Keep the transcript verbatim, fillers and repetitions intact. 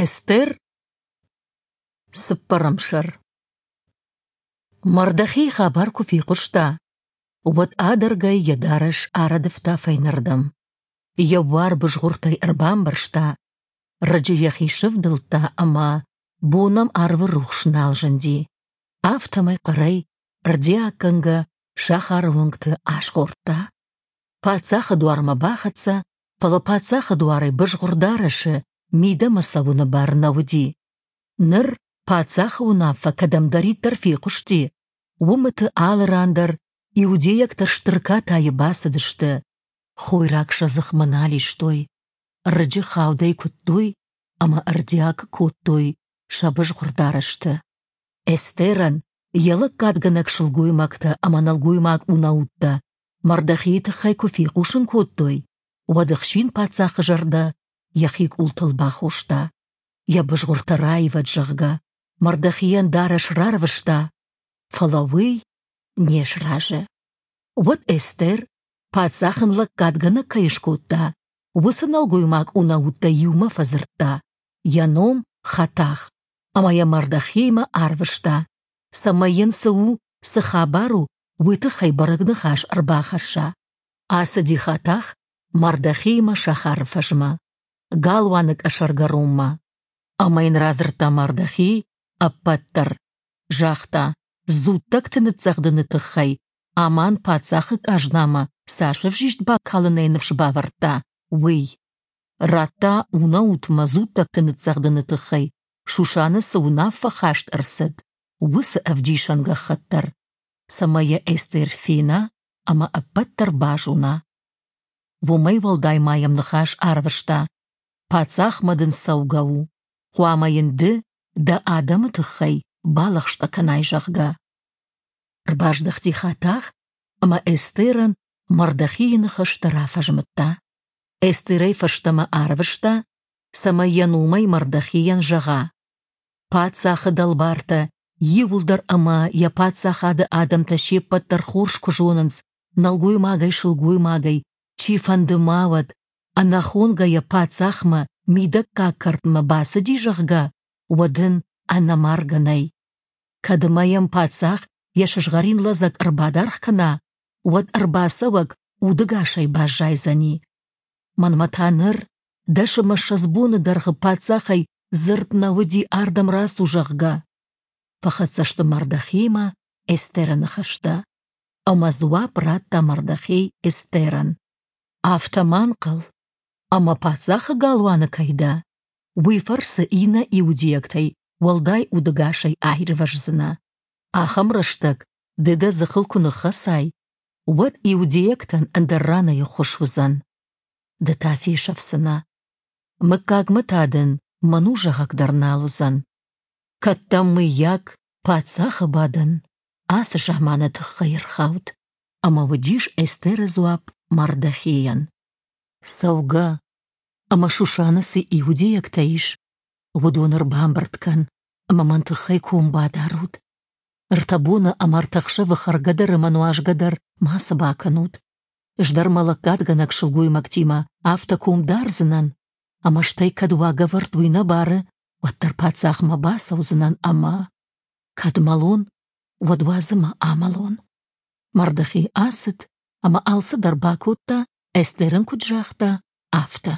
Эстер, цыппӕрӕм сӕр. Мардохей хабар куы фехъуыста, уӕд адӕргӕй йӕ дарӕс арӕдывта фӕйнӕрдӕм. Йӕ буар бызгъуыртӕй ӕрбамбӕрзта, рыджы йӕхи сӕвдылдта ӕмӕ бон ӕм арвы рухс нал зынди. Афтӕмӕй хъӕрӕй, ӕрдиаггӕнгӕ сахары уынгты азгъордта. Паддзахы дуармӕ бахӕццӕ, фӕлӕ паддзахы дуарӕй бызгъуыр дарӕсы мидӕмӕ цӕуыны бар нӕ уыди. Ныр паддзахы уынаффӕ кӕдӕмдӕриддӕр фехъуысти, уымыты алы ран дӕр иудейӕгтӕ стыр катайы бацыдысты, хойраг сӕ дзыхмӕ нал истой, рыджы хаудӕй куыдтой ӕмӕ ӕрдиаг кодтой сӕ бызгъуыр дарӕсты. Эстерӕн йӕ лӕггадгӕнӕг сылгоймӕгтӕ ӕмӕ нӕлгоймаг унӕуттӕ Мардохейы тыххӕй куы фехъусын кодтой, уӕд ӕхсин паддзахы зӕрдӕ йӕхи къултыл бахоста. Йӕ бызгъуыртӕ раивӕд, зӕгъгӕ, Мардохейӕн дарӕс рарвыста, фӕлӕ уый не сразы. Уӕд Эстер, паддзах ын лӕггадгӕнӕг кӕй скодта, уыцы нӕлгоймаг унӕуттӕй иумӕ фӕдзырдта, йӕ ном Хатах, ӕмӕ йӕ Мардохеймӕ арвыста, цӕмӕй йын цы у, цы хабар у, уый тыххӕй бӕрӕг ныхас ӕрбахӕсса. Ацыди Хатах Мардохеймӕ сахары фӕзмӕ, галуаны къӕсӕргӕронмӕ. Ӕмӕ йын радзырдта Мардохей ӕппӕт дӕр. Загъта, дзуттӕгты ныццӕгъдыны тыххӕй Аман паддзахы къазнамӕ цас ӕвзист бакалынӕй ныфс бавӕрдта, уый. Радта унӕутмӕ дзуттӕгты ныццӕгъдыны тыххӕй Шушаны цы уынаффӕ хаст ӕрцыд, уыцы ӕвдисӕн гӕххӕтт дӕр, цӕмӕй йӕ Эстер фена ӕмӕ ӕппӕт дӕр базона. Уымӕй уӕлдай ма йӕм ныхас арвыста: «Паддзахмӕ дын цӕугӕ у, хъуамӕ йын ды дӕ адӕмы тыххӕй балӕгъстӕ кӕнай, зӕгъгӕ». Ӕрбаздӕхти Хатах ӕмӕ Эстерӕн Мардохейы ныхӕстӕ рафӕзмыдта. Эстерӕй фӕстӕмӕ арвыста, цӕмӕй йӕ номӕй Мардохейӕн зӕгъа: «Паддзахы дӕлбартӕ иууылдӕр ӕмӕ йӕ паддзахады адӕмтӕ се ппӕт дӕр хорз куы зонынц, нӕлгоймагӕй-сылгоймагӕй, чифӕнды ма уӕд, ӕнӕхонгӕйӕ паддзахмӕ мидӕггаг кӕртмӕ бацыди, зӕгъгӕ, уӕд ын ӕнӕмаргӕ нӕй. Кӕд ӕмӕ йӕм паддзах йӕ сызгъӕрин лӕдзӕг ӕрбадаргъ кӕна, уӕд ӕрбацӕуӕг удӕгасӕй баззайдзӕни. Мӕнмӕ та ныр дӕс ӕмӕ ссӕдз боны дӕргъы паддзахӕй дзырд нӕ уыди ардӕм рацу, зӕгъгӕ. Фӕхӕццӕ сты Мардохеймӕ Эстеры ныхӕстӕ. Ӕмӕ дзуапп радта Мардохей Эстерӕн: «Афтӕ ма нхъӕл, ӕмӕ паддзахы галуаны кӕй дӕ, уый фӕрцы иннӕ иудейӕгтӕй уӕлдай удӕгасӕй аирвӕздзынӕ. Ахӕм рӕстӕг ды дӕ дзыхыл куы ныххӕцай, уӕд иудейӕгтӕн ӕндӕр ранӕй ӕххуыс уыдзӕн. Ды та фесӕфдзынӕ. Мыггагмӕ та дын мӕн у зӕгъӕг дӕр нал уыдзӕн. Кӕд дӕм, мыййаг, паддзахы бадӕн ацы заманы тыххӕй ӕрхауд?» Ӕмӕ уыдис Эстеры дзуапп Мардохейӕн: «Цӕугӕ ӕмӕ Шушаны цы иудейӕгтӕ ис, уыдон ӕрбамбырд кӕн ӕмӕ мӕн тыххӕй ком бадарут. Ӕртӕ боны ӕмӕ ӕртӕ ӕхсӕвы хӕргӕ дӕр ӕмӕ нуазгӕ дӕр мацы бакӕнут. Ӕз дӕр мӕ лӕггадгӕнӕг сылгоймӕгтимӕ афтӕ ком дардзынӕн, ӕмӕ стӕй кӕд уагӕвӕрд уый нӕ бары, уӕддӕр паддзахмӕ бацӕудзынӕн ӕмӕ, кӕд мӕлон, уӕд уадз ӕмӕ амӕлон». Мардохей ацыд ӕмӕ алцыдӕр бакодта, Эстер ын куыд загъта, афтӕ.